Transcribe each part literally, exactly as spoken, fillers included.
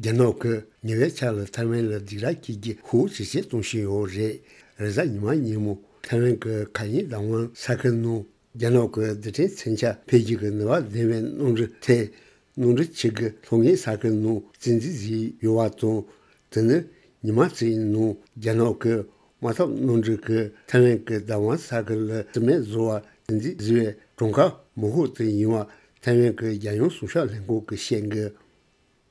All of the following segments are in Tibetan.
རྒྱ་ནག་གིས་ཉེ་བའི་ཆར་ལ་ཐའེ་ཝན་ལ་སྡིགས་ར་སྐྱེལ་རྒྱུ་ཤུགས་ཇེ་ཆེར་གཏོང་བཞིན་ཡོད་རེད། རེས་གཟའ་ཉི་མ་ཉིན་མོ་ཐའེ་ཝན་གྱི་མཁའ་དབྱིངས་བདག་དབང་ས་ཁུལ་ནང་རྒྱ་ནག་གི་རྡུལ་ཕྲན་མཚོན་ཆ་འཕེན་རྒྱུ་གི་ནུས་པ་ལྡན་པའི་གནམ་གྲུ་ཐད། གནམ་གྲུ་གཅིག་གིས་ལྷོ་ངོས་ས་ཁུལ་ནང་བཙན་འཛུལ་བཟོས་ཡོད་པ་དང་། དེ་ནི་ཉི་མ་གཅིག་ནང་རྒྱ་ནག་གི་དམག་འཐབ་གནམ་གྲུ་གིས་ཐའེ་ཝན་གྱི་བདག་དབང་ས་ཁུལ་ལ་རྩིས་མེད་བཟོ་བར་བཙན་འཛུལ་བཟོས་པའི་གྲངས་ཀ་མང་ཤོས་དེ་ཡིན་པ་ཐའེ་ཝན་གྱི་རྒྱལ་ཡོངས་སྲུང་སྐྱོབ་ལྷན་ཁང་གིས་བཤད་འདུག་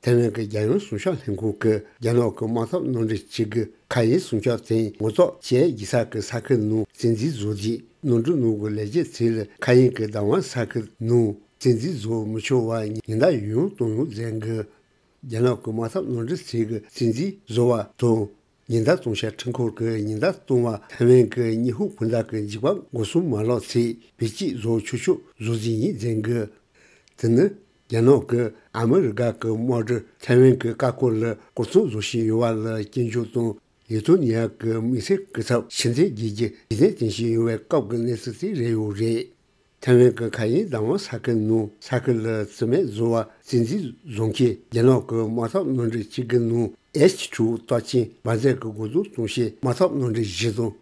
ཐའེ་ཝན་གྱི་རྒྱལ་ཡོངས་སྲུང་སྐྱོབ་ལྷན་ཁང་གིས་རྒྱ་ནག་གི་དམག་འཐབ་གནམ་གྲུ་གཅིག་གིས་མཁའ་དབྱིངས་སྲུང་སྐྱོབ་དང་ངོ་ཐོག་བཅས་བགྱིས་ས་ཀྱི་ས་ཁུལ་ནང་བཙན་འཛུལ་བཟོས་རྗེས། གནམ་གྲུ་ནང་གི་ལས་བྱེད་ཚོ་ལ་མཁའ་དབྱིངས་ཀྱི་བདག་དབང་ས་ཁུལ་ནང་བཙན་འཛུལ་བཟོ་མི་ཆོག་པར་ཉེན་བརྡ་ཡང་ཡང་བཏང་ཡོད་ཟེར་འདུག་རྒྱ་ནག་གི་དམག་འཐབ་གནམ་གྲུ་ཚོ་གིས་བཙན་འཛུལ་བཟོ་བ་དང་། ཉེན་བརྡ་གཏོང་བྱ་འཕྲུལ་འཁོར་གྱིས་ཉེན་བརྡ་གཏོང་བར་ཐའེ་ཝན་གྱི་ཉི་ཧོང་སྤུན་ཟླ་གི་འཇིགས་པ་འགོག་སྲུང་མ་ལག་ཚོས་བེད་སྤྱོད་བཟོ་ཆོག་ཆོག་བཟོ་རྩིས་ཡིན་ཟེར་འདུག་དེ་ནི་རྒྱ་ནག་གིས་ཨ་མི་རི་ཀ་གི་དམག་གྲུ་ཐའེ་ཝན་གྱི་བཀའ་བཀོད་ལ་སྐོར་སྲུང་བཟོ་བཞིན་ཡོད་པ་ལ་སྐྱོན་བརྗོད་དང་། ལི་ཐོ་ནི་ཡ་གི་དམིགས་བསལ་སྐུ་ཚབ་ཕྱིར་འཐེན་བྱེད་རྒྱུ་རྒྱུ་མཚན་བཏོན་བཞིན་ཡོད་པའི་སྐབས་ཀྱི་གནས་ཚུལ་དེ་རེད་ཡོད་རེད། ཐའེ་ཝན་གྱི་མཁའ་དབྱིངས་བདག་དབང་ས་ཁུལ་ནང་ས་ཁུལ་ལ་རྩིས་མེད་བཟོ་བར་བཙན་འཛུལ་བཟོ་མཁན་རྒྱ་ནག་གི་དམག་འཐབ་གནམ་གྲུ་གཅིག་གི་ནང་ཨེཆ་དྲུག་རྟགས་ཅན་འབར་རྫས་ཀྱི་འགོག་སྡོམ་གཏོང་བྱེད་དམག་འཐབ་གནམ་གྲུ་བཞི་དང་།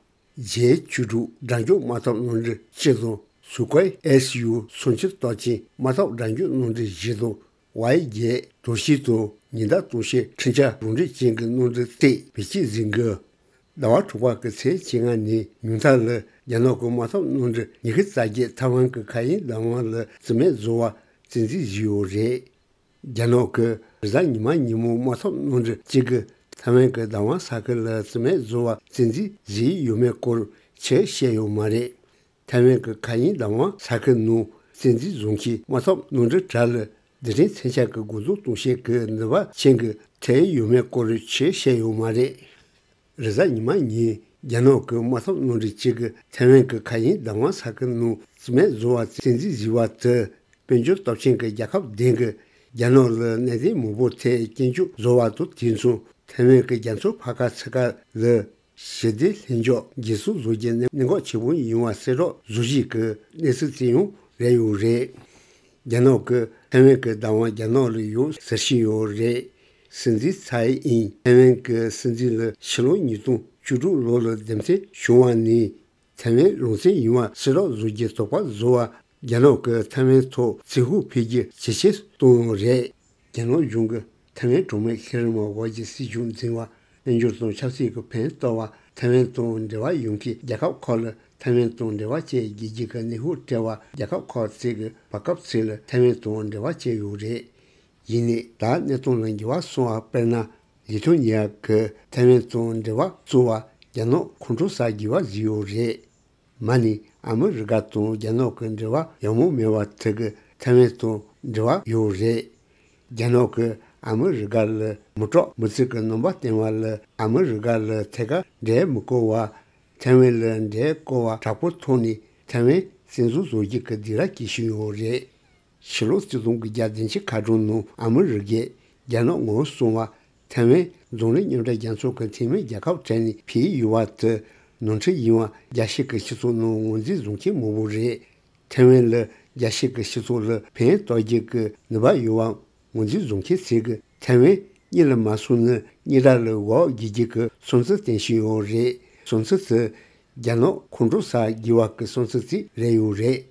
ཇེ་བཅུ་དྲུག་དགྲ་འཇོམས་དམག་འཐབ་གནམ་གྲུ་གཅིག་དང་། སུ་ཁོའི་ཨེས་ཡུ་སུམ་ཅུ་རྟགས་ཅན་དམག་འཐབ་དགྲ་འཇོམས་གནམ་གྲུ་བཞི་དང་། ཝའི་བརྒྱད་དོར་ཞི་དང་ཉེན་བརྡ་གཏོང་བྱེད་འཕྲིན་བཅར་རང་འགྲེལ་ཅན་གྱི་གནམ་གྲུ་བཅས་བེད་སྤྱོད་བཟོས་འདུག་ཟླ་བ་དྲུག་པ་གི་ཚེས་བཅོ་ལྔ་ཉིན་ཉུང་མཐའ་ལ་རྒྱ་ནག་གི་དམག་འཐབ་གནམ་གྲུ་ཉི་ཤུ་རྩ་བརྒྱད་ཐའེ་ཝན་གྱི་མཁའ་དབྱིངས་བདག་དབང་ལ་རྩིས་མེད་བཟོ་བར་བཙན་འཛུལ་བཟོས་ཡོད་རེད། རྒྱ་ནག་གིས་རེས་གཟའ་ཉི་མ་ཉིན་མོ་དམག་འཐབ་གནམ་གྲུ་གཅིག་གིས་ཐའེ་ཝན་གྱི་བདག་དབང་ས་ཁུལ་ལ་རྩིས་མེད་བཟོ་བར་བཙན་འཛུལ་བཟོས་ཡོད་མེད་སྐོར་ཕྱིར་བཤད་ཡོད་མ་རེད། ཐའེ་ཝན་གྱི་མཁའ་དབྱིངས་བདག་དབང་ས་ཁུལ་ནང་བཙན་འཛུལ་བཟོ་མཁན་དམག་འཐབ་གནམ་གྲུ་དག་ལ་རྡུལ་ཕྲན་མཚོན་ཆ་གི་འགོག་སྡོམ་གཏོང་བྱེད་ཀྱི་ནུས་པ་ཅན་གྱི་ཐད་ཡོད་མེད་སྐོར་ཕྱིར་བཤད་ཡོད་མ་རེད། རེས་གཟའ་ཉི་མ་ཉིན་རྒྱ་ནག་གི་དམག་འཐབ་གནམ་གྲུ་གཅིག་གིས་ཐའེ་ཝན་གྱི་མཁའ་དབྱིངས་བདག་དབང་ས་ཁུལ་ནང་རྩིས་མེད་བཟོ་བར་བཙན་འཛུལ་བཟོས་པ་དེ་དཔལ་འབྱོར་སྟོབས་ཆེན་གྱི་རྒྱལ་ཁབ་བདུན་གྱིས་རྒྱ་ནག་ལ་གནད་དོན་མང་པོའི་ཐད་སྐྱོན་བརྗོད་བཟོ་བ་དང་དུས་མཚུངས་ཐའེ་ཝན་གྱི་རྒྱ་མཚོ་ཕར་ཁ་ཚུར་ཁ་ལ་ཞི་བདེ་ལྷིང་འཇགས་འགན་སྲུང་བཟོ་རྒྱུ་གནད་འགག་ཆེན་པོ་ཡིན་པ་གསལ་བསྒྲགས་བཟོ་བཞིན་གྱི་གནས་ཚུལ་དེ་ཡང་རེད་ཡོད་རེད། རྒྱ་ནག་གིས་ཐའེ་ཝན་གྱི་བདག་དབང་རྒྱ་ནག་ལ་ཡོད་ཟེར་བཞིན་ཡོད་རེད། སྲིད་འཛིན་ཚའེ་ཨིན་ཐའེ་ཝན་གྱི་སྲིད་འཛིན་ལ་ཕྱི་ལོ་ཉིས་སྟོང་བཅུ་དྲུག་ལོ་ལ་འདེམས་ཐོན་བྱུང་བ་ནས་ཐའེ་ཝན་རང་བཙན་ཡིན་པ་གསལ་བསྒྲགས་བཟོ་རྒྱུའི་དོགས་པ་བཟོ་བར་རྒྱ་ནག་གིས་ཐའེ་ཝན་ཐོག་བཙན་ཤུགས་འཕེལ་རྒྱས་ཇེ་ཆེར་གཏོང་ཡོད་རེད། རྒྱ་ནག་གཞུང་གིས་ཐའེ་ཝན་གྲོང་མི་ཤེས་རིག་དམག་དབར་གྱི་སྲིད་ཇུས་འཛིན་པ། དཔལ་འབྱོར་དང་ཆབ་སྲིད་ཀྱི་ཕན་བཏགས་པ། ཐའེ་ཝན་དང་འབྲེལ་བ་ཡོད་མཁན་རྒྱལ་ཁབ་ཁག་ལ་ཐའེ་ཝན་དང་འབྲེལ་བ་བཅད་རྒྱུའི་གི་གནོན་ཤུགས་སྤྲད་པ། རྒྱལ་ཁབ་ཁག་ཅིག་གིས་བར་སྐབས་ཤིག་ལ་ཐའེ་ཝན་དང་འབྲེལ་བ་བཅད་ཡོད་རེད། ཡིན་ནའི་ད་གནད་དོན་ལ་འགྱུར་བ་སོང་བ་དཔེར་ན། ལི་ཐོ་ནི་ཡ་གིས་ཐའེ་ཝན་དང་འབྲེལ་བ་བཙུགས་པ་རྒྱ་ནག་ཁོང་ཁྲོ་ཟ་དགོས་པ་བཟོས་ཡོད་རེད། མ་ནི་ཨ་མི་རི་ཀ་དང་རྒྱ་ནག་གི་འབྲེལ་བ་ཡག་མོ་མེད་པ་དེ་གིས་ཐའེ་ཝན་དང་འབྲེལ་བ་ཡོད་རེད། རྒྱ་ནག་གིས་ཨ་མི་རི་ཀ་ལ་མི་དྲག་མི་གཙིགས་ཀྱི་རྣམ་པ་བསྟན་པ་ལ་ཨ་མི་རི་ཀ་ལ་ཐད་ཀར་འབྲེལ་མི་བསྐོར་བར། ཐའེ་ཝན་ལ་འབྲེལ་བསྐོར་བ་དྲག་པོའི་ཐོག་ནས་ཐའེ་ཝན་བཙན་བཟུང་བཟོ་རྒྱུ་གི་སྡིགས་ར་སྐྱེལ་བཞིན་ཡོད་རེད། ཕྱི་ལོ་གཅིག་སྟོང་དགུ་བརྒྱ་བདུན་ཅུ་ཁ་གྲངས་ནང་ཨ་མི་རི་ཀས་རྒྱ་ནག་ངོ་སྲུང་བ། ཐའེ་ཝན་འཛམ་གླིང་མཉམ་འབྲེལ་རྒྱལ་ཚོགས་ཀྱི་འཐུས་མི་རྒྱལ་ཁབ་གྲས་ནས་ཕུད་ཡོད་པ་དེ་ནོར་འཁྲུལ་ཡིན་པ་རྒྱལ་སྤྱི་གི་སྤྱི་ཚོགས་ནང་ངོས་འཛིན་བཟོ་མཁན་མང་པོ་རེད། ཐའེ་ཝན་ལ་རྒྱལ་སྤྱི་གི་སྤྱི་ཚོགས་ལ་ཕན་ཐོགས་རྒྱུ་གི་ནུས་པ་ཡོད་པ་ངོས་འཛིན་བཟོ་མཁན་ཚོས་གིས་ཐའེ་ཝན་གཉིད་ལ་མ་སོང་ན་གཉིད་ར་ལ་འོག་བསྒྱུར་རྒྱུ་གི་བསམ་ཚུལ་བསྟན་བཞིན་ཡོད་རེད། བསམ་ཚུལ་དེ་རྒྱ་ནག་ཁོང་ཁྲོ་ཟ་དགོས་པ་གི་བསམ་ཚུལ་ཅིག་རེད་ཡོད་རེད།